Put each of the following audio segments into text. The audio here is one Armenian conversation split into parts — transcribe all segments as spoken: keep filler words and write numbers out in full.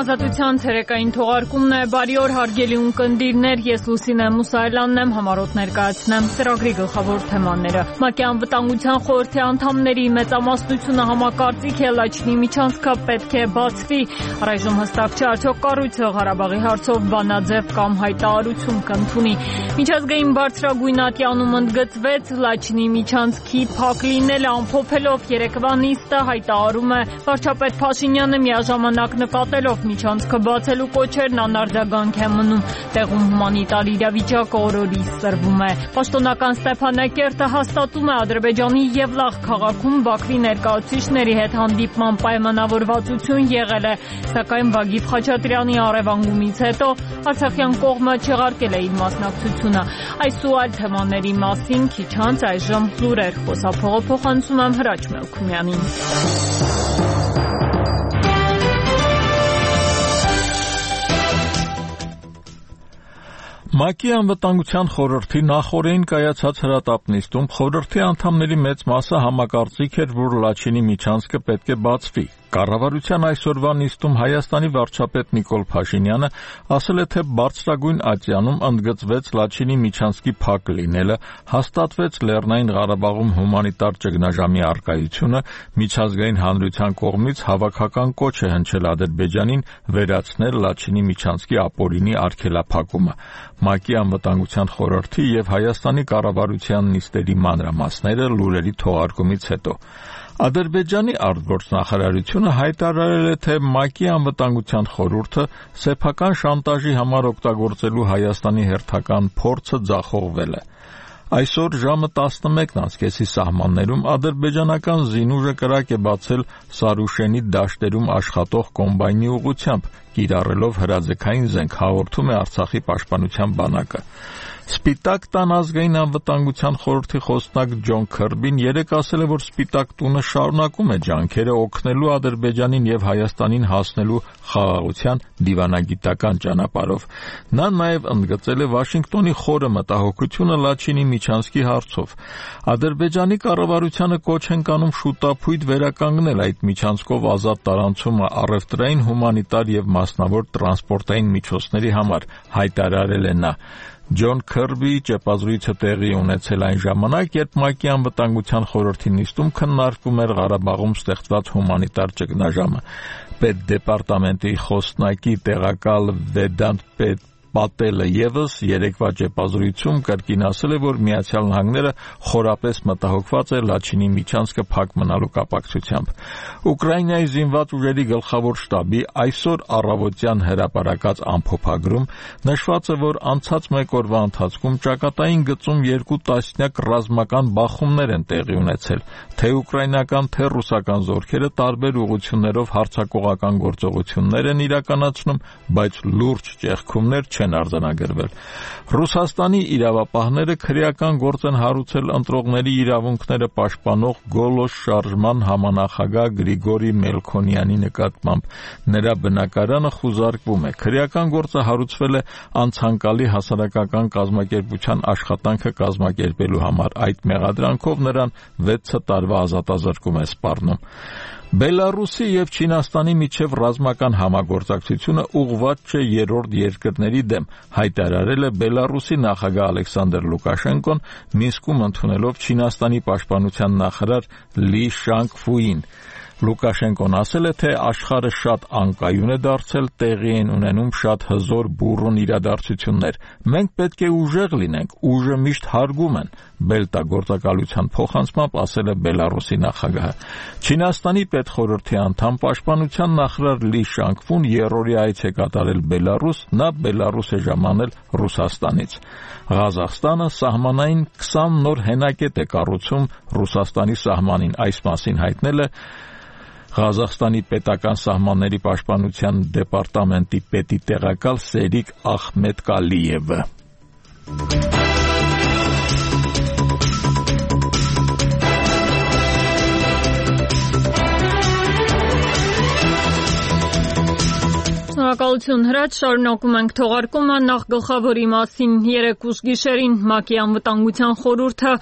Ազատության ցերեկային թողարկումն է, բարի օր հարգելի ունկնդիրներ, ես Լուսինե Մուսայելյանն եմ, համառոտ ներկայացնեմ ծրագրի գլխավոր թեմաները։ ՄԱԿ-ի անվտանգության խորհրդի անդամների մեծամասնությունը համակարծիք է Լաչինի միջանցքը պետք է բացվի։ Առայժմ հստակ չէ արդյոք կառույցը Ղարաբաղի հարցով բանաձև կամ հայտարարություն կընդունի։ Միջազգային բարձրագույն ատյանում ընդգծվեց Լաչինի միջանցքի փակ լինելը, ամփոփելով երեկվա նիստը հայտարարում է վարչապետ Փաշինյանը միաժամանակ նկատելով միջանցքը բացելու կոչերն անարձագանք է մնում, տեղում հումանիտար իրավիճակը օրորի սրվում է։ Պաշտոնական Ստեփանակերտը հաստատում է Ադրբեջանի Եվլախ քաղաքում Բաքվի ներկայացուցիչների հետ հանդիպման պայմանավորվածություն եղել է, սակայն Վագիվ Խաչատրյանի առևանգումից հետո արցախյան կողմը չեղարկել է իր մասնակցությունը։ Այս ու այլ թեմաների մասին քիչ անց այժմ լուրեր, խոսափողը փոխանցում եմ Հրաչ Մելքումյանին։ ՄԱԿ-ի անվտանգության խորհրդի նախօրեին կայացած հրատապ նիստում խորհրդի անդամների մեծ մասը համակարծիք էր, որ Լաչինի միջանցքը պետք է բացվի։ Կառավարության այսօրվա նիստում Հայաստանի վարչապետ Նիկոլ Փաշինյանը ասել է, թե բարձրագույն ատյանում ընդգծվեց Լաչինի միջանցքի փակ լինելը, հաստատվեց Լեռնային Ղարաբաղում հումանիտար ճգնաժամի առկայությունը, միջազգային հանրության կողմից հավաքական կոչ է հնչել Ադրբեջանին վերացնել Լաչինի միջանցքի ապօրինի արգելափակումը։ ՄԱԿ-ի անվտանգության խորհրդի եւ Հայաստանի կառավարության նիստերի մանրամասները լուրերի թողարկումից հետո Ադրբեջանի արտգործնախարարությունը հայտարարել է, թե ՄԱԿ-ի անվտանգության խորհուրդը սեփական շանտաժի համար օգտագործելու Հայաստանի հերթական փորձը ձախողվել է։ Այսօր ժամը տասնմեկն անց կեսի սահմաններում ադրբեջանական զինուժը կրակ է բացել Սարուշենի դաշտերում աշխատող կոմբայնի ուղղությամբ, կիրառելով հրաձգային զենք, հաղորդում է Արցախի պաշտպանության բանակը։ Սպիտակ տան ազգային անվտանգության խորհրդի խոսնակ Ջոն Քըրբին երեկ ասել է, որ Սպիտակ տունը շարունակում է ջանքերը օգնելու Ադրբեջանին եւ Հայաստանին հասնելու խաղաղության դիվանագիտական ճանապարհով։ Նա նաեւ ընդգծել է Վաշինգտոնի խորը մտահոգությունը Լաչինի միջանցքի հարցով։ Ադրբեջանի կառավարությանը կոչ են կանում շուտապույտ վերականգնել այդ միջանցքով ազատ տարանցումը առևտրային, հումանիտար եւ մասնավոր տրանսպորտային միջոցների համար, հայտարարել է նա։ Ջոն Քըրբիի ճեպազրույցը տեղի ունեցել այն ժամանակ, երբ ՄԱԿ-ի անվտանգության խորհրդի նիստում քննարկվում էր Ղարաբաղում ստեղծված հումանիտար ճգնաժամը։ Պետդեպարտամենտի խոսնակի տեղակալ Վեդանտ Պատելը եւս երեկվա ճեպազրույցում կրկին ասել է, որ Միացյալ Նահանգները խորապես մտահոգված է Լաչինի միջանցքը փակ մնալու կապակցությամբ։ Ուկրաինայի զինված ուժերի գլխավոր շտաբի այսօր առավոտյան հրապարակած ամփոփագրում նշված է, որ անցած մեկ օրվա ընթացքում ճակատային գծում երկու տասնյակ ռազմական բախումներ են տեղի ունեցել, թե ուկրաինական, թե ռուսական զորքերը տարբեր ուղղություններով հարձակողական գործողություններ են իրականացնում, բայց լուրջ ճեղքումներ չեն արձանագրվել։ Ռուսաստանի իրավապահները քրեական գործ են հարուցել ընտրողների իրավունքները պաշտպանող Գոլոս շարժման համանախագահ Գրիգորի Մելքոնյանի նկատմամբ։ Նրա բնակարանը խուզարկվում է։ Քրեական գործը հարուցվել է անցանկալի հասարակական կազմակերպության աշխատանքը կազմակերպելու համար։ Այդ մեղադրանքով նրան վեց տարվա ազատազրկում է սպառնում։ Բելարուսի եւ Չինաստանի միջև ռազմական համագործակցությունը ուղղված չէ երրորդ երկրների դեմ, հայտարարել է Բելարուսի նախագահ Ալեքսանդր Լուկաշենկոն Մինսկում ընդունելով Չինաստանի պաշտպանության նախարար Լի Շանգֆուին։ Լուկաշենկոն ասել է, թե աշխարհը շատ անկայուն է դարձել, տեղի են ունենում շատ հզոր բուռն իրադարձություններ։ Մենք պետք է ուժեղ լինենք, ուժը միշտ հարգում են, Բելտա գործակալության փոխանցմամբ ասել է Բելարուսի նախագահը։ Չինաստանի պետխորհրդի անդամ պաշտպանության նախարար Լի Շանգֆուն երրորդի այց է կատարել Բելարուս, նա Բելարուս է ժամանել Ռուսաստանից։ Ղազախստանը սահմանային քսան նոր հենակետ է կառուցում Ռուսաստանի սահմանին, այս մասին հայտնել է Ղազախստանի պետական սահմանների պաշտպանության դեպարտամենտի պետի տեղակալ Սերիկ Ախմեդկալիևը։ Շնորհակալություն Հրաչ, շարունակում ենք թողարկումը, նախ գլխավորի մասին երեկ ուշ գիշերին ՄԱԿ-ի անվտանգության խորհուրդը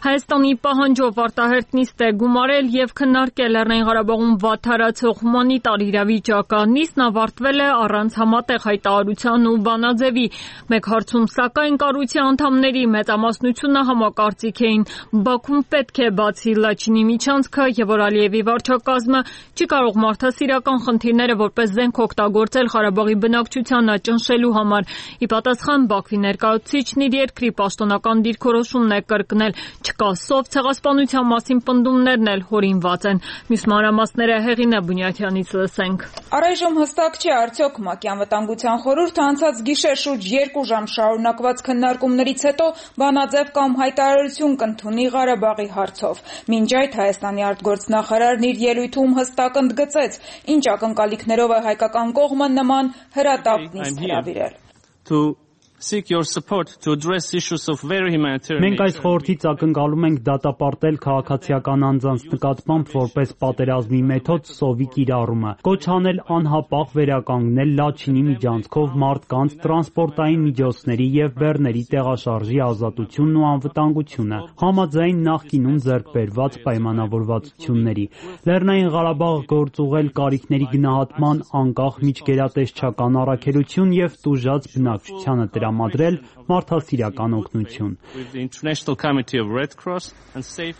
Հայաստանի պահանջով արտահերտ նիստ է գումարել եւ քննարկել Լեռնային Ղարաբաղում վատթարացող հումանիտար իրավիճակը։ Նիստն ավարտվել է առանց համատեղ հայտարարության ու բանաձևի։ Մեկ հարցում, սակայն, կառույցի անդամների մեծամասնությունը համակարծիք էին. Բաքուն պետք է բացի Լաչինի միջանցքը եւ որ Ալիևի վարչակազմը չի կարող մարդասիրական խնդիրները որպես զենք օգտագործել Ղարաբաղի բնակչությանը ճնշելու համար։ Ի պատասխան Բաքվի ներկայացուցիչն իր երկրի պաշտոնական դիրքորոշումն է կրկնել. չկա սով, ցեղասպանության մասին պնդումներն էլ հորինված են։ Մյուս մանրամասները Հեղինե Բունյաթյանից լսենք։ Առայժմ հստակ չէ, արդյոք ՄԱԿ-ի անվտանգության խորհուրդը անցած գիշեր շուրջ երկու ժամ շարունակված քննարկումներից հետո բանաձև կամ հայտարարություն կընդունի Ղարաբաղի հարցով։ Մինչ այդ Հայաստանի արտգործնախարարն իր ելույթում հստակ ընդգծեց, ինչ ակնկալիքներով է հայկական կողմը նման հրատապ նիստ հրավիրել։ Մենք այս խորհրդից ակնկալում ենք դատապարտել քաղաքացիական անձանց նկատմամբ որպես պատերազմի մեթոդ սովի կիրառումը, կոչ անել անհապաղ վերականգնել Լաչինի միջանցքով մարդկանց, տրանսպորտային միջոցների եւ բեռների տեղաշարժի ազատությունն ու անվտանգությունը, համաձայն նախկինում ձեռք բերված պայմանավորվածությունների։ Լեռնային Ղարաբաղը գործուղել կարիքների գնահատման անկախ միջգերատեսչական առաքելություն եւ տուժած բնակչությանը տրամադրել մարդասիրական օգնություն։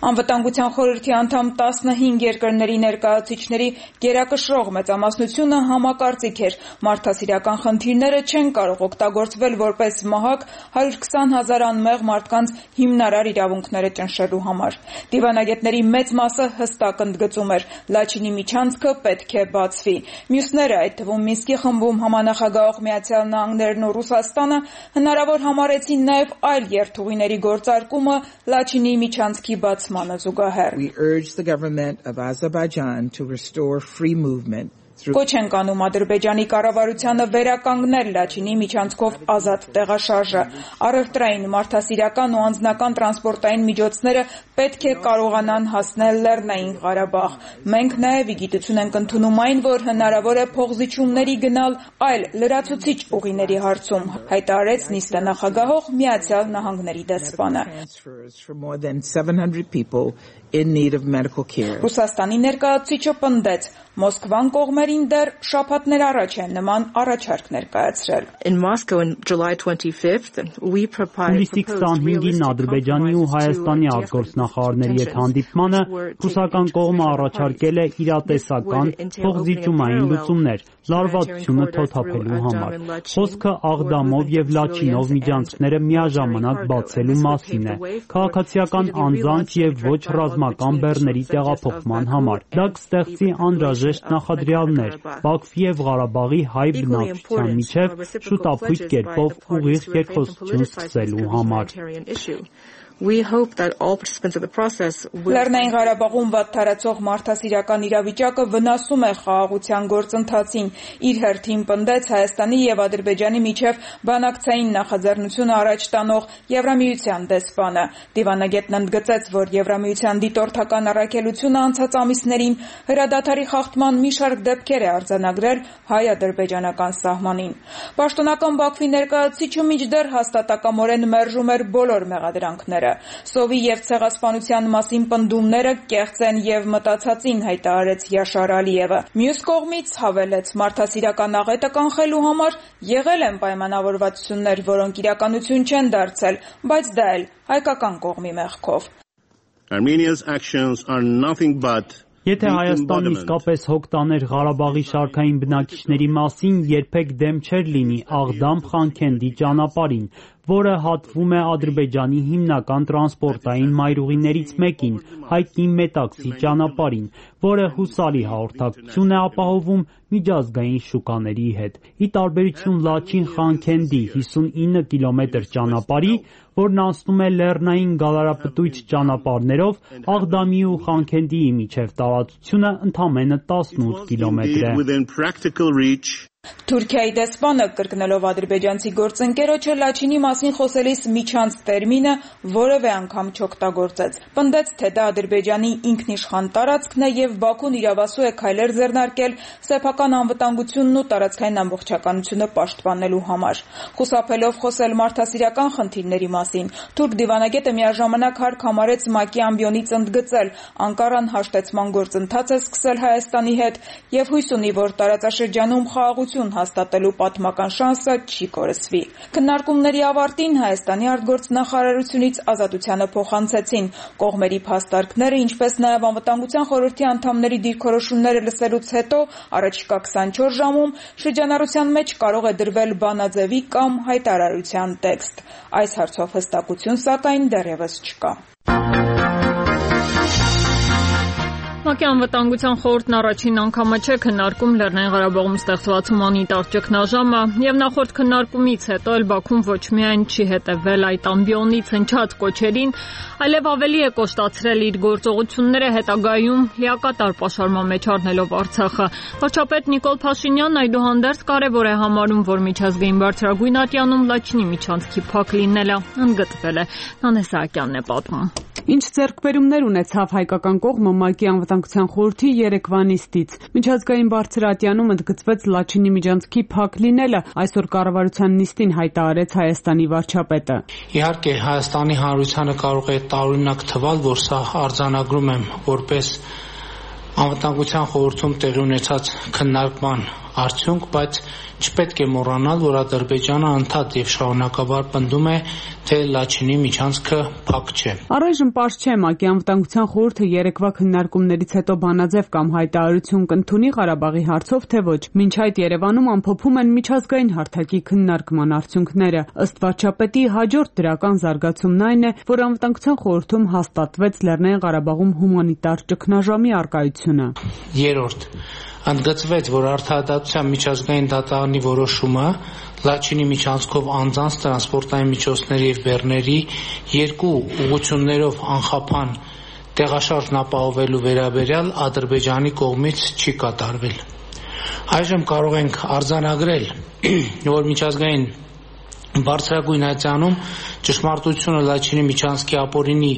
Անվտանգության խորհրդի անդամ տասնհինգ երկրների ներկայացուցիչների գերակշռող մեծամասնությունը համակարծիք էր, մարդասիրական խնդիրները չեն կարող օգտագործվել որպես մահակ հարյուր քսան հազար անմեղ մարդկանց հիմնարար իրավունքները ճնշելու համար։ Դիվանագետների մեծ մասը հստակ ընդգծում էր, Լաչինի միջանցքը պետք է բացվի։ Մյուսները, այդ թվում Մինսկի խմբում համանախագահող Միացյալ Նահանգներն ու Ռուսաստանը հնարավոր համարեցին նաև այլ երթուղիների գործարկումը Լաչինի միջանցքի բացմանը զուգահեռ։ Կոչ ենք անում Ադրբեջանի կառավարությանը վերականգնել Լաչինի միջանցքով ազատ տեղաշարժը։ Առևտրային, մարդասիրական ու անձնական տրանսպորտային միջոցները պետք է կարողանան հասնել Լեռնային Ղարաբաղ։ Մենք նաև ի գիտություն ենք ընդունում այն, որ հնարավոր է փոխզիջումների գնալ այլ լրացուցիչ ուղիների հարցում, հայտարարեց նիստը նախագահող Միացյալ Նահանգների դեսպանը։ Ռուսաստանի ներկայացուցիչը պնդեց, Մոսկվան կողմերին դեռ շաբաթներ առաջ են նման առաջարկ ներկայացրել։ Հուլիսի քսանհինգին Ադրբեջանի ու Հայաստանի արտգործնախարարների հետ հանդիպմանը ռուսական կողմը առաջարկել է իրատեսական փոխզիջումային լուծումներ լարվածությունը թոթափելու համար։ Խոսքը Աղդամով եւ Լաչինով միջանցքները միաժամանակ բացելու մասին է, քաղաքացիական անձանց եւ ոչ ռազմական բեռների տեղափոխման համար։ Դա կստեղծի անհրաժեշտ նախադրյալներ Բաքվի եւ Ղարաբաղի հայ բնակչության միջև շուտապույտ կերպով ուղիղ երկխոսություն սկսելու համար։ Լեռնային Ղարաբաղում վատթարացող մարդասիրական իրավիճակը վնասում է խաղաղության գործընթացին, իր հերթին պնդեց Հայաստանի եւ Ադրբեջանի միջև բանակցային նախաձեռնությունը առաջ տանող Եվրամիության դեսպանը։ Դիվանագետն ընդգծեց, որ Եվրամիության դիտորդական առաքելությունը անցած ամիսներին հրադադարի խախտման մի շարք դեպքեր է արձանագրել հայ-ադրբեջանական սահմանին։ Պաշտոնական Բաքվի ներկայացուցիչը մինչդեռ հաստատակամորեն մերժում էր բոլոր մեղադրանքները։ Սովի եւ ցեղասպանության մասին պնդումները կեղծ են եւ մտածածին, հայտարարեց Յաշար Ալիևը։ Մյուս կողմից հավելեց, մարդասիրական աղետը կանխելու համար եղել են պայմանավորվածություններ, որոնք իրականություն չեն դարձել, բայց դա էլ հայկական կողմի մեղքով։ Եթե Հայաստանն իսկապես հոգ տաներ Ղարաբաղի շարքային բնակիչների մասին, երբեք դեմ չէր լինի Աղդամ-Խանքենդի ճանապարհին, որը հատվում է Ադրբեջանի հիմնական տրանսպորտային մայրուղիներից մեկին, հայտնի Մետաքսի ճանապարհին, որը հուսալի հաղորդակցություն է ապահովում միջազգային շուկաների հետ։ Ի տարբերություն Լաչին-Խանքենդի հիսունինը կիլոմետր ճանապարհի, որն անցնում է լեռնային գալարապտույտ ճանապարհներով, Աղդամի ու Խանքենդիի միջև տարածությունը ընդամենը տասնութ կիլոմետր է։ Թուրքիայի դեսպանը կրկնելով ադրբեջանցի գործընկերոջը Լաչինի մասին խոսելիս միջանց տերմինը որևէ անգամ չօգտագործեց։ Պնդեց, թե դա Ադրբեջանի ինքնիշխան տարածքն է եւ Բաքուն իրավասու է քայլեր ձեռնարկել սեփական անվտանգությունն ու տարածքային ամբողջականությունը պաշտպանելու համար։ Խուսափելով խոսել մարդասիրական խնդիրների մասին, թուրք դիվանագետը միաժամանակ հարկ համարեց ՄԱԿ-ի ամբիոնից ընդգծել Անկարան հաշտեցման գործընթաց է սկսել Հայաստանի հետ եւ հույս ունի, որ տարածաշրջանում խաղաղություն հաստատելու պատմական շանսը չի կորսվի։ Քննարկումների ավարտին Հայաստանի արտգործնախարարությունից ազատությանը փոխանցեցին կողմերի փաստարկները, ինչպես նաև անվտանգության խորհրդի անդամների դիրքորոշումները լսելուց հետո առաջիկա քսանչորս ժամում շրջանառության մեջ կարող է դրվել բանաձևի կամ հայտարարության տեքստ։ Այս հարցով հստակություն սակայն դեռևս չկա։ ՄԱԿ-ի անվտանգության խորհուրդն առաջին անգամը չէ քննարկում Լեռնային Ղարաբաղում ստեղծված հումանիտար ճգնաժամը եւ նախորդ քննարկումից հետո էլ Բաքուն ոչ միայն չի հետևել այդ ամբիոնից հնչած կոչերին, այլև ավելի է կոշտացրել իր գործողությունները հետագայում լիակատար պաշարման մեջ առնելով Արցախը։ Վարչապետ Նիկոլ Փաշինյանն այդուհանդերձ կարևոր է համարում, որ միջազգային բարձրագույն ատյանում Լաչինի միջանցքի փակ լինելը ընդգծվել է։ Նանե Սահակյանն է պատմում։ Ինչ ձեռքբերումներ ունեցավ հայկական կողմը ՄԱԿ-ի անվտանգության խորհրդի երեկվա նիստից։ Միջազգային բարձր ատյանում ընդգծվեց Լաչինի միջանցքի փակ լինելը, այսօր կառավարության նիստին հայտարարեց Հայաստանի վարչապետը։ Իհարկե, Հայաստանի Հանրությանը կարող է տարօրինակ թվալ, որ սա արձանագրում եմ որպես անվտանգության խորհրդում տեղի ունեցած քննարկման արդյունք, բայց չպետք է մոռանալ, որ Ադրբեջանը անդադ եւ շարունակաբար պնդում է, թե Լաչինի միջանցքը փակ չէ։ Առայժմ պարզ չէ ՄԱԿ-ի անվտանգության խորհուրդը երեկվա քննարկումներից հետո բանաձև կամ հայտարարություն կընդունի Ղարաբաղի հարցով, թե ոչ։ Մինչ այդ Երևանում ամփոփում են միջազգային հարթակի քննարկման արդյունքները։ Ըստ վարչապետի, հաջորդ դրական զարգացումն այն է, որ անվտանգության խորհրդում հաստատվեց Լեռնային Ղարաբաղում հումանիտար ճգնաժամի առկայությունը։ Երրորդ, ընդգծվեց, որ Արդարադատության միջազգային դատարանի որոշումը Լաչինի միջանցքով անձանց տրանսպորտային միջոցների եւ բեռների երկու ուղղություններով անխափան տեղաշարժն ապահովելու վերաբերյալ Ադրբեջանի կողմից չի կատարվել։ Այժմ կարող ենք արձանագրել, որ միջազգային բարձրագույն ատյանում ճշմարտությունը Լաչինի միջանցքի ապօրինի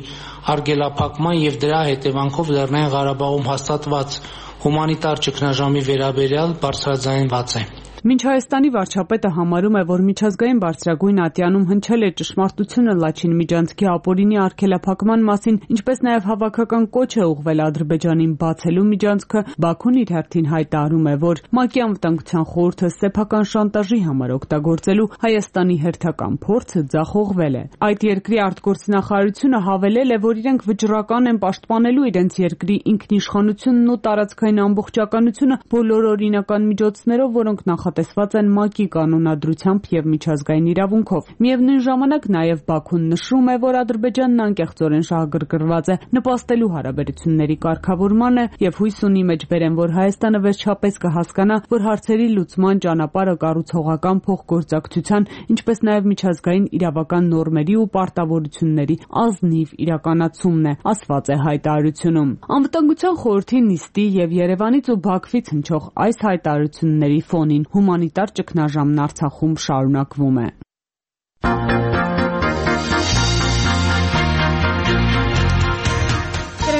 արգելափակման եւ դրա հետևանքով Լեռնային Ղարաբաղում հաստատված հումանիտար ճգնաժամի վերաբերյալ բարձրաձայնված է։ Մինչ Հայաստանի վարչապետը համարում է, որ միջազգային բարձրագույն ատյանում հնչել է ճշմարտությունը Լաչինի միջանցքի ապօրինի արգելափակման մասին, ինչպես նաև հավաքական կոչ է ուղղվել Ադրբեջանին բացելու միջանցքը, Բաքուն իր հերթին հայտարարում է, որ ՄԱԿ-ի անվտանգության խորհուրդը սեփական շանտաժի համար օգտագործելու Հայաստանի հերթական փորձը ձախողվել է։ Այդ երկրի արտգործնախարարությունը հավելել է, որ իրենք վճռական են պաշտպանելու իրենց երկրի ինքնիշխանությունն ու տարածքային ամբողջականությունը բոլոր օրինական միջոցներով, որոնք նախ տեսված են ՄԱԿ-ի կանոնադրությամբ եւ միջազգային իրավունքով։ Միևնույն ժամանակ նաեւ Բաքուն նշում է, որ Ադրբեջանն անկեղծորեն շահագրգռված է նպաստելու հարաբերությունների կարգավորմանը եւ հույս ունի մեջբերեն, որ Հայաստանը վերջապես կհասկանա, որ հարցերի լուծման ճանապարհը կառուցողական փոխգործակցության, ինչպես նաեւ միջազգային իրավական նորմերի ու պարտավորությունների ազնիվ իրականացումն է, ասված է հայտարարությունում։ Անվտանգության խորհրդի նիստի եւ Երևանից ու Բաքվից հնչող այս հայտարարությունների ֆոնին հումանիտար ճգնաժամն Արցախում շարունակվում է։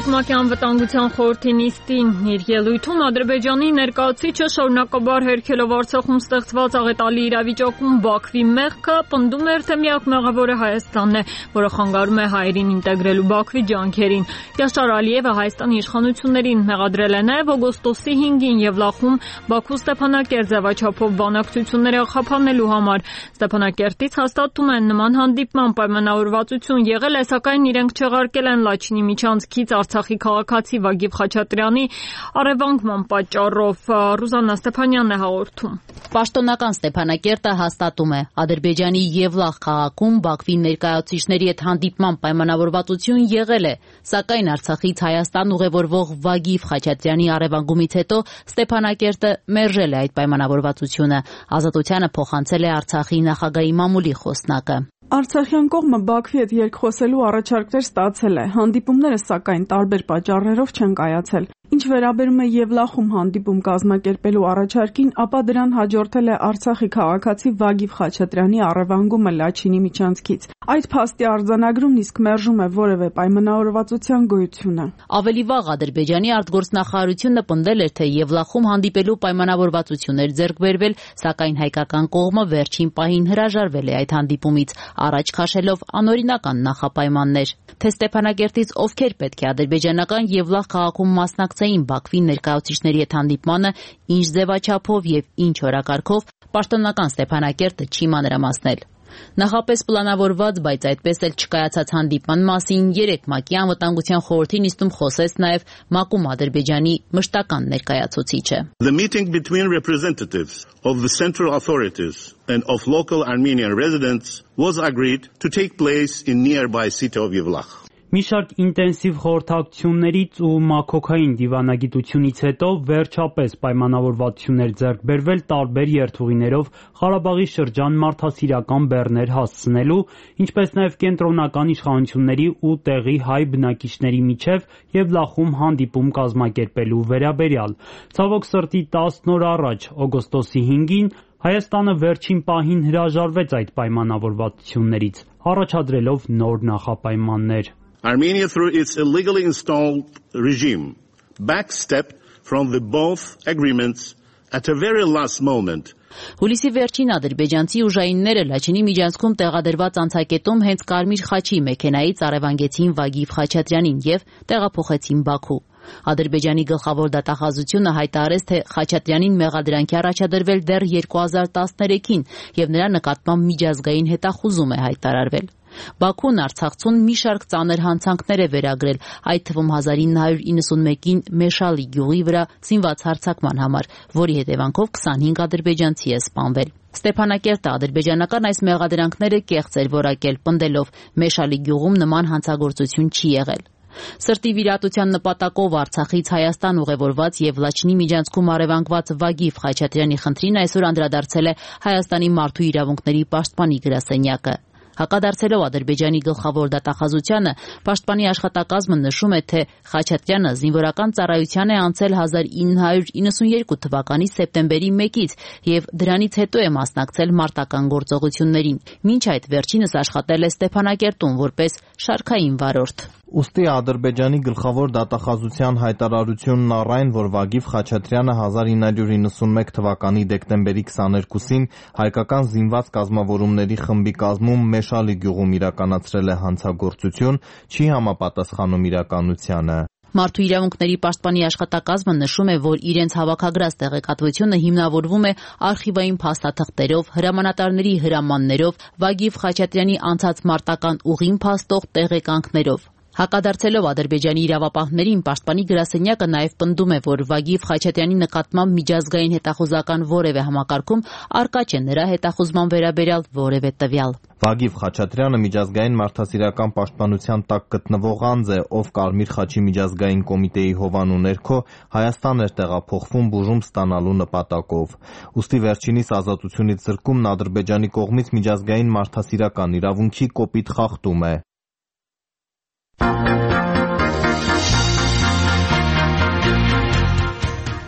ՄԱԿ-ի անվտանգության խորհրդի նիստին իր ելույթում Ադրբեջանի ներկայացուցիչը շարունակաբար հերքելով Արցախում ստեղծված աղետալի իրավիճակում Բաքվի մեղքը պնդում էր, թե միակ մեղավորը Հայաստանն է, որը խանգարում է հայերին ինտեգրելու Բաքվի ջանքերին։ Յաշար Ալիևը Հայաստանի իշխանություններին մեղադրել է նաև օգոստոսի հինգին Եվլախում Բաքու Ստեփանակերտ ձևաչափով բանակցությունները խափանելու համար։ Ստեփանակերտից հաստատում են նման հանդիպման պայմանավորվածություն եղել է, սակայն իրենք չեղարկել են Լաչինի միջանցքից Արցախի քաղաքացի Վագիվ Խաչատրյանի առևանգման պատճառով։ Ռուզաննա Ստեփանյանն է հաղորդում։ Պաշտոնական Ստեփանակերտը հաստատում է Ադրբեջանի Եվլախ քաղաքում Բաքվի ներկայացուցիչների հետ հանդիպման պայմանավորվածություն եղել է, սակայն Արցախից Հայաստան ուղևորվող Վագիվ Խաչատրյանի առևանգումից հետո Ստեփանակերտը մերժել է այդ պայմանավորվածությունը։ Ազատությանը փոխանցել է Արցախի նախագահի մամուլի խոսնակը։ Արցախյան կողմը Բաքվի հետ երկխոսելու առաջարկներ ստացել է, հանդիպումները սակայն տարբեր պատճառներով չեն կայացել։ Ինչ վերաբերում է Եվլախում հանդիպում կազմակերպելու առաջարկին, ապա դրան հաջորդել է Արցախի քաղաքացի Վագիվ Խաչատրյանի առևանգումը Լաչինի միջանցքից։ Այդ փաստի արձանագրումն իսկ մերժում է որևէ պայմանավորվածության գոյությունը։ Ավելի վաղ Ադրբեջանի արտգործնախարարությունը պնդել էր, թե Եվլախում հանդիպելու պայմանավորվածություններ ձեռք բերվել, սակայն հայկական կողմը վերջին պահին հրաժարվել է այդ հանդիպումից, առաջ քաշելով անօրինական նախապայմաններ։ Թե Ստեփանակերտից ովքեր պետք է ադրբեջանական Եվլախ քաղաքում մասնակցեին Բաքվի ներկայացուցիչների հետ հանդիպմանը, ինչ ձևաչափով եւ ինչ օրակարգով, պաշտոնական Ստեփանակերտը չի մանրամասնել։ Նախապես պլանավորված, բայց այդպես էլ չկայացած հանդիպման մասին երեկ ՄԱԿ-ի անվտանգության խորհրդի նիստում խոսեց նաև ՄԱԿ-ում Ադրբեջանի մշտական ներկայացուցիչը։ The meeting between representatives of the central authorities and of local Armenian residents was agreed to take place in nearby city of Yevlakh. Մի շարք ինտենսիվ խորհրդակցություններից ու մաքոքային դիվանագիտությունից հետո վերջապես պայմանավորվածություններ ձեռք բերվել տարբեր երթուղիներով Ղարաբաղի շրջան մարդասիրական բեռներ հասցնելու, ինչպես նաև կենտրոնական իշխանությունների ու տեղի հայ բնակիչների միջև Եվլախում հանդիպում կազմակերպելու վերաբերյալ։ Ցավոք սրտի տասն օր առաջ, օգոստոսի հինգին, Հայաստանը վերջին պահին հրաժարվեց այդ պայմանավորվածություններից, առաջադրելով նոր նախապայմաններ։ Armenia, through its illegally installed regime, backstepped from the both agreements at a very last moment. Հուլիսի վերջին ադրբեջանցի ուժայինները Լաչինի միջանցքում տեղադրված անցակետում հենց Կարմիր խաչի մեքենայից առևանգեցին Վագիվ Խաչատրյանին եւ տեղափոխեցին Բաքու։ Ադրբեջանի գլխավոր դատախազությունը հայտարարեց, թե Խաչատրյանին մեղադրանքի առաջադրվել դեռ երկու հազար տասներեքին եւ նրա նկատմամբ միջազգային հետախուզում է հայտարարվել։ Բաքուն Արցախցուն մի շարք ծանր հանցանքներ է վերագրել, այդ թվում հազար ինը հարյուր իննսունմեկին Մեշալի գյուղի վրա զինված հարձակման համար, որի հետևանքով քսանհինգ ադրբեջանցի է սպանվել։ Ստեփանակերտը ադրբեջանական այս մեղադրանքները կեղծ էր որակել, պնդելով Մեշալի գյուղում նման հանցագործություն չի եղել։ Սրտի վիրատության նպատակով Արցախից Հայաստան ուղևորված եւ Լաչինի միջանցքում առևանգված Վագիվ Խաչատրյանի խնդրին այսօր անդրադարձել է Հայաստանի մարդու իրավունքների պաշտպանի գրասենյակը։ Հակադարձելով Ադրբեջանի գլխավոր դատախազությանը, պաշտպանի աշխատակազմը նշում է, թե Խաչատրյանը զինվորական ծառայության է անցել հազար ինը հարյուր իննսունյերկու թվականի սեպտեմբերի մեկից եւ դրանից հետո է մասնակցել մարտական գործողություններին։ Մինչ այդ վերջինս աշխատել է Ստեփանակերտում որպես շարքային վարորդ։ Ուստի Ադրբեջանի գլխավոր դատախազության հայտարարությունն առ այն, որ Վագիվ Խաչատրյանը հազար ինը հարյուր իննսունմեկ թվականի դեկտեմբերի քսաներկուսին հայկական զինված կազմավորումների խմբի կազմում Մեշալի գյուղում իրականացրել է հանցագործություն, չի համապատասխանում իրականությանը։ Մարդու իրավունքների պաշտպանի աշխատակազմը նշում է, որ իրենց հավաքագրած տեղեկատվությունը հիմնավորվում է արխիվային փաստաթղթերով, հրամանատարների հրամաններով, Վագիվ Խաչատրյանի անցած մարտական ուղին փաստող տեղեկանքներով։ Հակադարձելով Ադրբեջանի իրավապահներին, պաշտպանի գրասենյակը նաև պնդում է, որ Վագիվ Խաչատրյանի նկատմամբ միջազգային հետախուզական որևէ համակարգում առկա չէ նրա հետախուզման վերաբերյալ որևէ տվյալ։ Վագիվ Խաչատրյանը միջազգային մարդասիրական պաշտպանության տակ գտնվող անձ է, ով Կարմիր խաչի միջազգային կոմիտեի հովանու ներքո Հայաստան էր տեղափոխվում բուժում ստանալու նպատակով։ Ուստի վերջինիս ազատությունից զրկումն Ադրբեջանի կողմից միջազգային մարդասիրական իրավունքի կոպիտ խախտում է։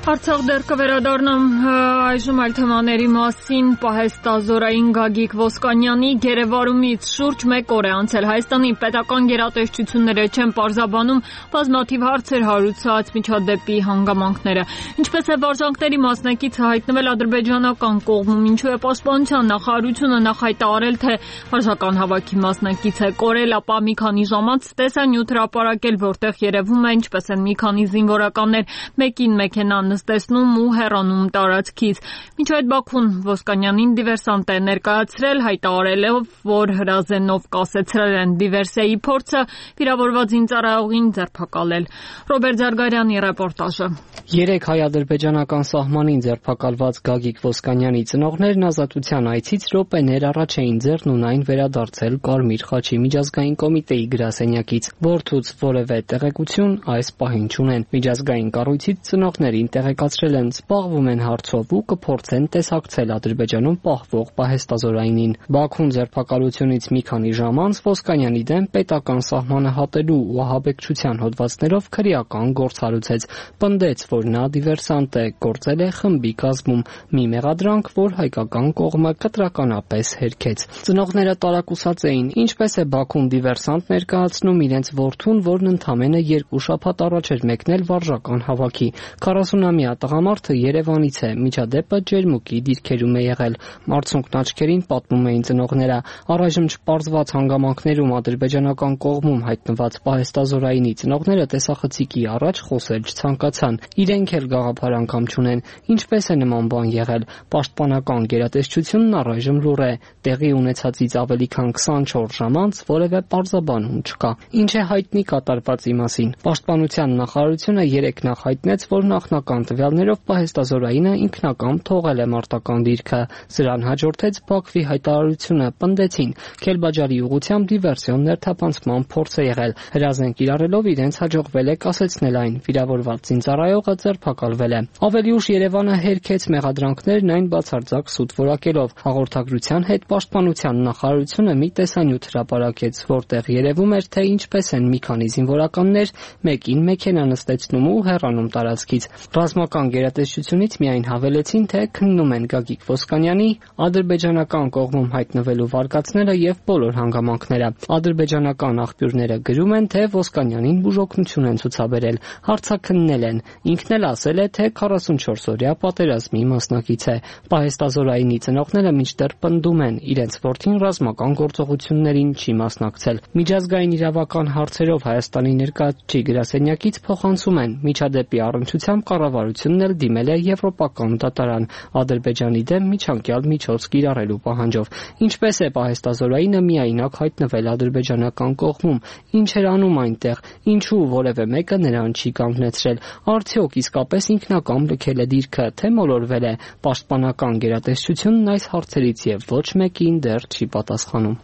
Արցախ դեռ կվերադառնամ այժմ այլ թեմաների մասին։ Պահեստազորային Գագիկ Ոսկանյանի գերեվարումից շուրջ մեկ օր է անցել։ Հայաստանի պետական գերատեսչությունները չեն պարզաբանում բազմաթիվ հարցեր հարուցած միջադեպի հանգամանքները։ Ինչպես է վարժանքների մասնակիցը հայտնվել ադրբեջանական կողմում, ինչու է պաշտպանության նախարարությունը նախ հայտարարել, թե վարժական հավաքի մասնակից է կորել, ապա մի քանի ժամ անց տեսանյութ հրապարակել, որտեղ երևում է ինչպես են մի քանի զինվորականներ մեկին մեքենան նստեցնում ու հեռանում տարածքից։ Մինչ այդ Բաքուն Ոսկանյանին դիվերսանտ է ներկայացրել, հայտարարելով, որ հրազենով կասեցրել են դիվերսիայի փորձը վիրավորված զինծառայողին ձերբակալել։ Ռոբերտ Զարգարյանի ռեպորտաժը։ Երեք հայ-ադրբեջանական սահմանին ձերբակալված Գագիկ Ոսկանյանի ծնողներն ազատության այցից րոպեներ առաջ էին ձեռնունայն վերադարձել Կարմիր խաչի միջազգային կոմիտեի գրասենյակից։ Որդուց որևէ տեղեկություն այս պահին չունեն։ Միջազգային կառույցից ծնողներին տեղեկացրել են, զբաղվում են հարցով ու կփորձեն տեսակցել Ադրբեջանում պահվող պահեստազորայինին։ Բաքուն ձերբակալությունից մի քանի ժամ անց Ոսկանյանի դեմ պետական սահմանը հատելու ու ահաբեկչության հոդվածներով քրեական գործ հարուցեց, պնդեց, որ նա դիվերսանտ է, գործել է խմբի կազմում, մի մեղադրանք, որ հայկական կողմը կտրականապես հերքեց։ Ծնողները տարակուսած էին, ինչպես է Բաքուն դիվերսանտ ներկայացնում իրենց որդուն, որն ընդամենը երկու շաբաթ առաջ էր մեկնել վարժական հավաքի։ քառասունամյա տղամարդը Երևանից է, միջադեպը ջերմուկի դիրքերում է եղել։ Մարցունքն աչքերին պատմում էին ծնողները։ Առայժմ չպարզված հանգամանքներում ադրբեջանական կողմում հայտնված պահեստազորայինի ծնողները տեսախցիկի առաջ խոսել չցանկացան։ Իրենք էլ գաղափար անգամ չունեն։ Ինչպես է նման բան եղել։ Պաշտպանական գերատեսչությունն առայժմ լուռ է։ Տեղի ունեցածից ավելի քան քսանչորս ժամ անց որևէ պարզաբանում չկա։ Ինչ է հայտնի կատարվածի մասին։ Պաշտպանության նախարարությունը երեկ նախ հայտնեց, որ նախնական տվյալներով պահեստազորայինը ինքնակամ թողել է մարտական դիրքը։ Սրան հաջորդեց Բաքվի հայտարարությունը, պնդեցին Քելբաջարի ուղղությամբ դիվերսիոն ներթափանցման փորձ է եղել։ Հրազեն կիրառելով իրենց հաջողվել է կասեցնել այն։ Վիրավորված զինծառայողը ձերբակալվել է։ Ավելի ուշ Երևանը հերքեց մեղադրանքներն այն բացարձակ սուտ որակելով։ Հաղորդագրության հետ Պաշտպանության նախարարությունը մի տեսանյութ հրապարակեց, որտեղ երևում էր, թե ինչպես են մի քանի զինվորականներ մեկին մեքենա նստեցնում ու հեռանում տարածքից։ Ռազմական գերատեսչությունից միայն հավելեցին, թե քննում են Գագիկ Ոսկանյանի ադրբեջանական կողմում հայտնվելու վարկածները եւ բոլոր հանգամանքները։ Ադրբեջանական աղբյուրները գրում են, թե Ոսկանյանին բուժօգնություն են ցուցաբերել, հարցաքննել են։ Ինքն էլ ասել է, թե քառասունչորս օրյա պատերազմի մասնակից է։ Պահեստազորայինի ծնողները մինչդեռ պնդում են, իրենց որդին ռազմական գործողություններին չի մասնակցել։ Միջազգային իրավական հարցերով Հայաստանի ներկայացուցիչ գրասենյակից փոխանցում են, միջադեպի առնչությամբ կառավարությունն էլ դիմել է Եվրոպական դատարան Ադրբեջանի դեմ միջանկյալ միջոց կիրառելու պահանջով։ Ինչպես է պահեստազորայինը միայնակ հայտնվել ադրբեջանական կողմում, ինչ էր անում այնտեղ, ինչու որևէ մեկը նրան չի կանգնեցրել, արդյոք իսկապես ինքնակամ լքել է դիրքը, թե մոլորվել է։ Պաշտպանական գերատեսչությունն այս հարցերից եւ ոչ մեկին դեռ չի պատասխանում։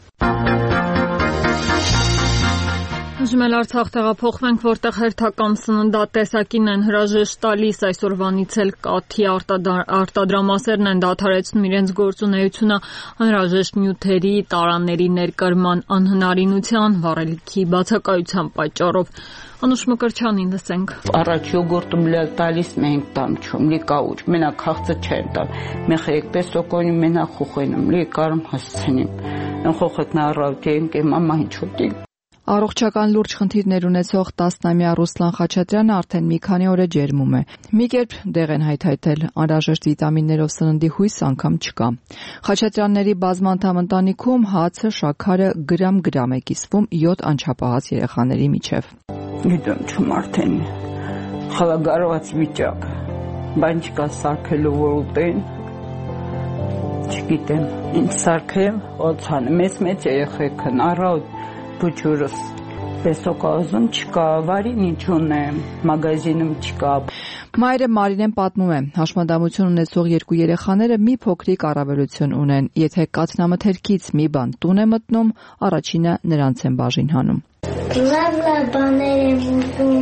Ուզում եմ Արցախ տեղափոխվենք, որտեղ հերթական սննդատեսակին են հրաժեշտ տալիս, այսօրվանից էլ կաթի արտադրամասերն են դադարեցնում իրենց գործունեությունը անհրաժեշտ նյութերի, տարաների ներկրման անհնարինության, վառելիքի բացակայության պատճառով։ Անուշ Մկրչյանին լսենք։ Առաջ յոգուրտում լել տալիս մենք տամ չում, լի կաուչ, մենակ խաղցը չեն տամ։ Մեխը եկպես սոկոնի մենակ խուխենում, լի կարում հասցնիմ։ Են խոխեքն առավտեին կեմ ամա հինչոտի։ Առողջական լուրջ խնդիրներ ունեցող տասնամյա Ռուսլան Խաչատրյանը արդեն մի քանի օր է ջերմում է։ Մի կերպ դեղ են հայթայթել, անհրաժեշտ վիտամիններով սննդի հույս անգամ չկա։ Խաչատրյանների բազմանդամ ընտանիքում հացը, շաքարը գրամ-գրամ է կիսվում յոթ անչափահաս երեխաների միջև։ Գիտեմ չում արդեն խալագարված վիճակ, բան չկա սարքելու որ ուտեն, չգիտեմ, ինչ սարքեմ, օծանը, մեծ-մեծ երեխեք են, առավտ բուջուրս, պեսոկազում չկա, վարին ինչ ունեմ, մագազինում չկա։ Մայրը Մարինեն պատմում է, հաշմանդամություն ունեցող երկու երեխաները մի փոքրիկ առավելություն ունեն, եթե կաթնամթերքից մի բան տուն է մտնում, առաջինը նրանց են բաժին հանում։ Լավ-լավ բաներ եմ ուզում,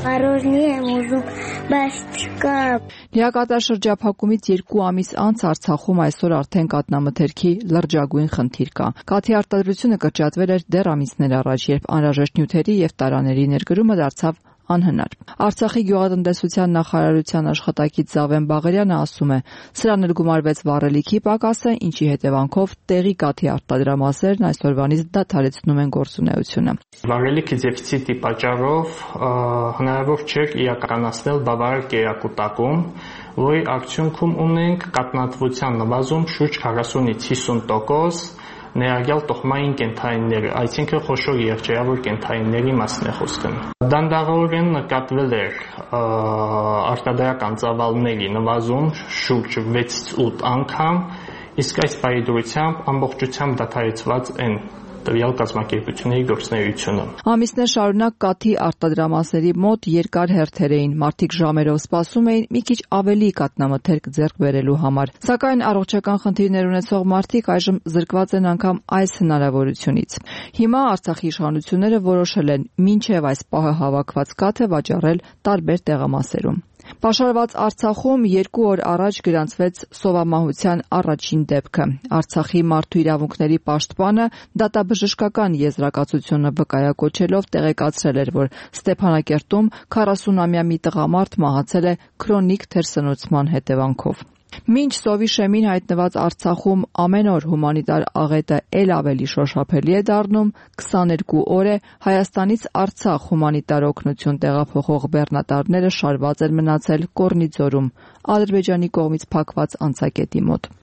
առօրնի եմ ուզում, բայց չկա։ Լիակատար շրջափակումից երկու ամիս անց Արցախում այսօր արդեն կաթնամթերքի լրջագույն խնդիր կա։ Կաթի արտադրությունը կրճատվել էր դեռ ամիսներ առաջ, երբ անհրաժեշտ նյութերի եւ տարաների ներկրումը դարձավ անհնար։ Արցախի գյուղատնտեսության նախարարության աշխատակից Զավեն Բաղարյանը ասում է, սրան էլ գումարվեց վառելիքի պակասը, ինչի հետևանքով տեղի կաթի արտադրամասերն այսօրվանից դադարեցնում են գործունեությունը։ Վառելիքի դեֆիցիտի պատճառով հնարավոր չէր իրականացնել բավարար կերակուտակում, որի արդյունքում ունենք կաթնատվության նվազում շուրջ քառասունից հիսուն տոկոս, ներառյալ տոխմային կենդանիները, այսինքն խոշոր եղջերավոր կենդանիների մասն է խոսքը։ Դանդաղորեն նկատվել էր արտադրական ծավալների նվազում շուրջ վեցից ութ անգամ, իսկ այս բարեդրությամբ ամբողջությամբ դադարեցված են տվյալ կազմակերպությունների գործունեությունը։ Ամիսներ շարունակ կաթի արտադրամասերի մոտ երկար հերթեր էին, մարդիկ ժամերով սպասում էին մի քիչ ավելի կաթնամթերք ձեռք բերելու համար։ Սակայն առողջական խնդիրներ ունեցող մարդիկ այժմ զրկված են անգամ այս հնարավորությունից։ Հիմա Արցախի իշխանությունները որոշել են մինչև այս պահը հավաքված կաթը վաճառել տարբեր տեղամասերում։ Պաշարված Արցախում երկու օր առաջ գրանցվեց սովամահության առաջին դեպքը։ Արցախի մարդու իրավունքների պաշտպանը դատաբժշկական եզրակացությունը վկայակոչելով տեղեկացրել էր, որ Ստեփանակերտում քառասունամյա մի տղամարդ մահացել է քրոնիկ թերսնուցման հետևանքով։ Մինչ սովի շեմին հայտնված Արցախում ամեն օր հումանիտար աղետը ել ավելի շոշափելի է դառնում, քսաներկու օր է Հայաստանից Արցախ հումանիտար օգնություն տեղափոխող բեռնատարները շարված են մնացել Կոռնիձորում, Ադրբեջանի կողմից փակված անցակետի մոտ։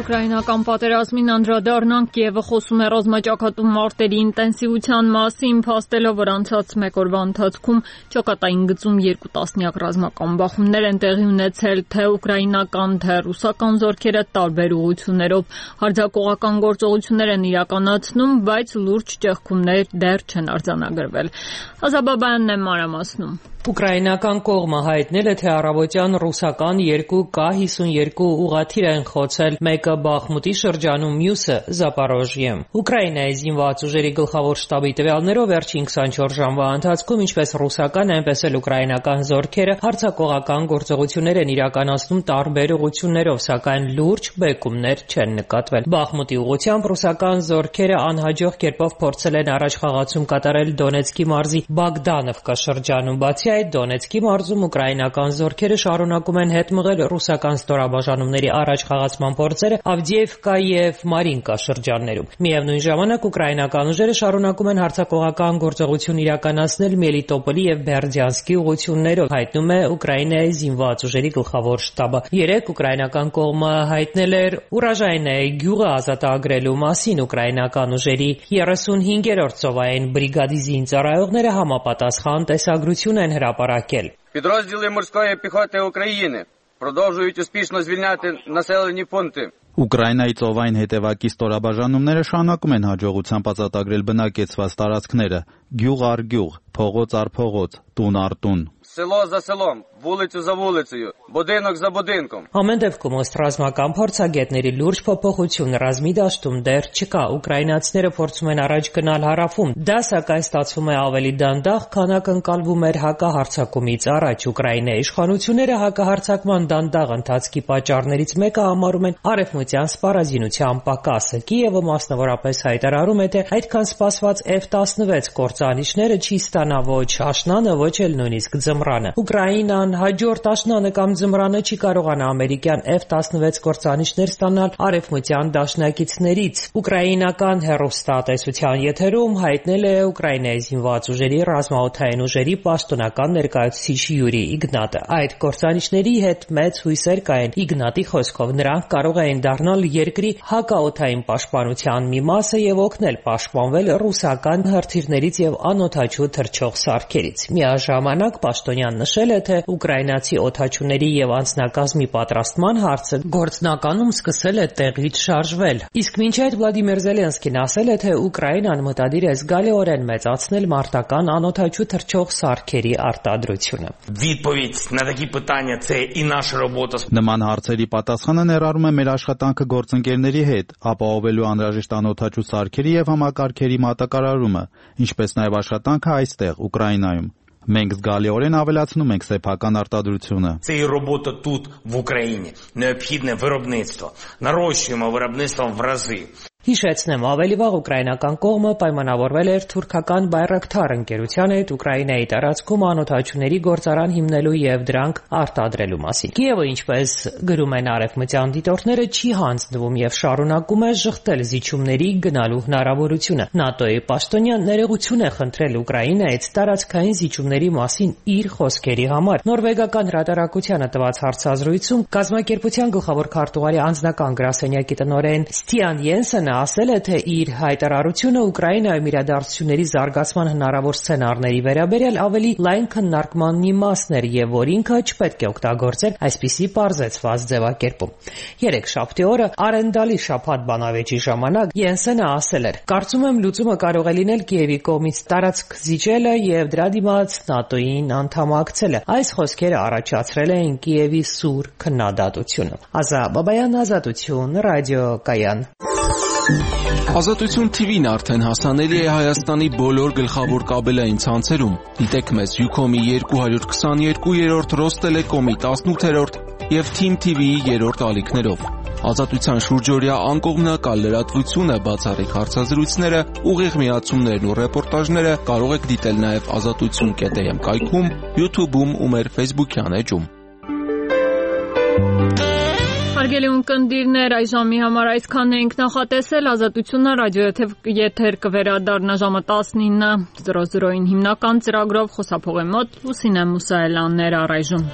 Ուկրաինական պատերազմին անդրադառնանք, Կիևը խոսում է ռազմաճակատում մարտերի ինտենսիվության մասին, փաստելով, որ անցած մեկ օրվա ընթացքում ճակատային գծում երկու տասնյակ ռազմական բախումներ են տեղի ունեցել, թե ուկրաինական, թե ռուսական զորքերը տարբեր ուղղություններով հարձակողական գործողություններ են իրականացնում, բայց լուրջ ճեղքումներ դեռ չեն արձանագրվել։ Ազաբաբյանն է մանրամասնում։ Ուկրաինական կողմը հայտնել է, թե առավոտյան ռուսական երկու Կ հիսունյոթ ուղղաթիռ են խոցել, մեկը Բախմուտի շրջանում, մյուսը Զապորոժիեմ։ Ուկրաինայի զինված ուժերի գլխավոր շտաբի տվյալներով վերջին քսանչորս ժամվա ընթացքում ինչպես ռուսական, այնպես էլ ուկրաինական զորքերը հարձակողական գործողություններ են իրականացնում տարբեր ուղղություններով, սակայն լուրջ բեկումներ չեն նկատվել։ Բախմուտի ուղղությամբ ռուսական զորքերը անհաջող կերպով փորձել են առաջխաղացում կատարել Դոնեցկի մարզի Բոգդանովկա շրջանում, բացի այդ Դոնեցկի մարզում ուկրաինական զորքերը շարունակում են հետ մղել ռուսական ստորաբաժանումների առաջխաղացման փորձերը Ավդիևկա եւ Մարինկա շրջաններում։ Միևնույն ժամանակ ուկրաինական ուժերը շարունակում են հարձակողական գործողություն իրականացնել Մելիտոպոլի եւ Բերդյանսկի ուղղություններով, հայտնում է Ուկրաինայի զինված ուժերի գլխավոր շտաբը։ Երեկ ուկրաինական կողմը հայտնել էր Ուրաժայնե գյուղը ազատագրելու մասին, ուկրաինական ուժերի երեսունհինգերորդ ծովային բրիգադի զինծառայողները համապատասխան տեսագրություն են հրապարակել։ Підрозділи морської піхоти України продовжують успішно звільняти населені пункти. Ուկրաինայի ծովային հետևակի ստորաբաժանումները շարունակում են հաջողությամբ ազատագրել բնակեցված տարածքները՝ գյուղ առ գյուղ, փողոց առ փողոց, տուն առ տուն։ Село за селом, вулицю за вулицею, будинок за будинком։ Ամեն դեպքում ըստ ռազմական փորձագետների լուրջ փոփոխություն ռազմի դաշտում դեռ չկա։ Ուկրաինացիները փորձում են առաջ գնալ հարավում։ Դա սակայն ստացվում է ավելի դանդաղ, քան ակնկալվում էր հակահարձակումից առաջ։ Ուկրաինայի իշխանությունները հակահարձակման դանդաղ ընթացքի պատճառներից մեկը համարում են արևմտյան սպառազինության պակասը։ Կիևը մասնավորապես հայտարարում է, թե այդքան սպասված F տասնվեց կործանիչները չի ստանա ոչ աշնանը, ոչ էլ նույնիսկ ձմռանը։ Ուկրաինան հաջորդ աշնանը կամ ձմռանը չի կարողանա ամերիկյան F տասնվեց կործանիչներ ստանալ արևմտյան դաշնակիցներից։ Ուկրաինական հեռուստատեսության եթերում հայտնել է Ուկրաինայի զինված ուժերի ռազմաօդային ուժերի պաշտոնական ներկայացուցիչ Յուրի Իգնատը։ Այդ կործանիչների հետ մեծ հույսեր կային։ Իգնատի խոսքով նրանք կարող էին դառնալ երկրի հակաօդային պաշտպանության մի մասը եւ օգնել պաշտպանվել ռուսական հրթիռներից եւ անօդաչու թռչող սարքերից։ Միաժամանակ պաշտոնյան նշել է, թե ուկրաինացի օդաչուների եւ անձնակազմի պատրաստման հարցը գործնականում սկսել է տեղից շարժվել։ Իսկ մինչ այդ Վլադիմիր Զելենսկին ասել է, թե Ուկրաինան մտադիր է զգալիորեն մեծացնել մարտական անօդաչու թռչող սարքերի արտադրությունը։ Նման հարցերի պատասխանը ներառում է մեր աշխատանքը գործընկերների հետ, ապահովելու անհրաժեշտ անօդաչու սարքերի եւ համակարգերի մատակարարումը, ինչպես նաեւ աշխատանքը այստեղ Ուկրաինայում։ Մենք զգալիորեն ավելացնում ենք սեփական արտադրությունը։ Це і робота тут, в Україні. Необхідне виробництво. Нарощуємо виробництво в рази. Հիշեցնեմ, ավելի վաղ ուկրաինական կողմը պայմանավորվել էր թուրքական Բայրակթար ընկերության հետ Ուկրաինայի տարածքում անօդաչուների գործարան հիմնելու եւ դրանք արտադրելու մասին։ Կիևը, ինչպես գրում են արևմտյան դիտորդները, չի հանձնվում եւ շարունակում է ժխտել զիջումների գնալու հնարավորությունը։ ՆԱՏՕ-ի պաշտոնյան ներողություն է խնդրել Ուկրաինայից տարածքային զիջումների մասին իր խոսքերի համար։ Նորվեգական հրատարակությանը տված հարցազրույցում կազմակերպության գլխավոր քարտուղարի անձնական գրասենյակի տնօրեն Ստիան Յենսենը ասել է, թե իր հայտարարությունը Ուկրաինայում իրադարձությունների զարգացման հնարավոր սցենարների վերաբերյալ ավելի լայն քննարկման մի մասն էր եւ որ ինքը չպետք է օգտագործել այսպիսի պարզեցված ձևակերպում։ Երեքշաբթի օրը Արենդալի շաբաթ բանավեճի ժամանակ Յենսենը ասել էր. «Կարծում եմ լուծումը կարող է լինել Կիևի կողմից տարածք զիջելը եւ դրա դիմաց ՆԱՏՕ-ին անդամակցելը»։ Այս խոսքերը առաջացրել էին Կիևի սուր քննադատությունը։ Ազա Բաբայան, Ազատություն, ռադիո Կայան։ Ազատություն Թի Վին արդեն հասանելի է Հայաստանի բոլոր գլխավոր կաբելային ցանցերում։ Դիտեք մեզ Յուքոմի երկու հարյուր քսաներկուերորդ, Ռոստելեկոմի տասնութերորդ եւ Թիմ Թի Վիի երրորդ ալիքներով։ Ազատության շուրջօրյա անկողմնակալ լրատվությունը, բացառիկ հարցազրույցները, ուղիղ միացումներն ու ռեպորտաժները կարող եք դիտել նաեւ ազատություն կետ էմ կայքում, YouTube-ում ու մեր Facebook-յան էջում։ Հարգելի ունկնդիրներ, այս ժամի համար այսքանն էինք նախատեսել։ Ազատությունը ռադիոյեթեր եթեր կվերադառնա ժամը տասնինը զրո զրոին հիմնական ծրագրով, խոսափողի մոտ Լուսինե Մուսայելյաններ առայժմ։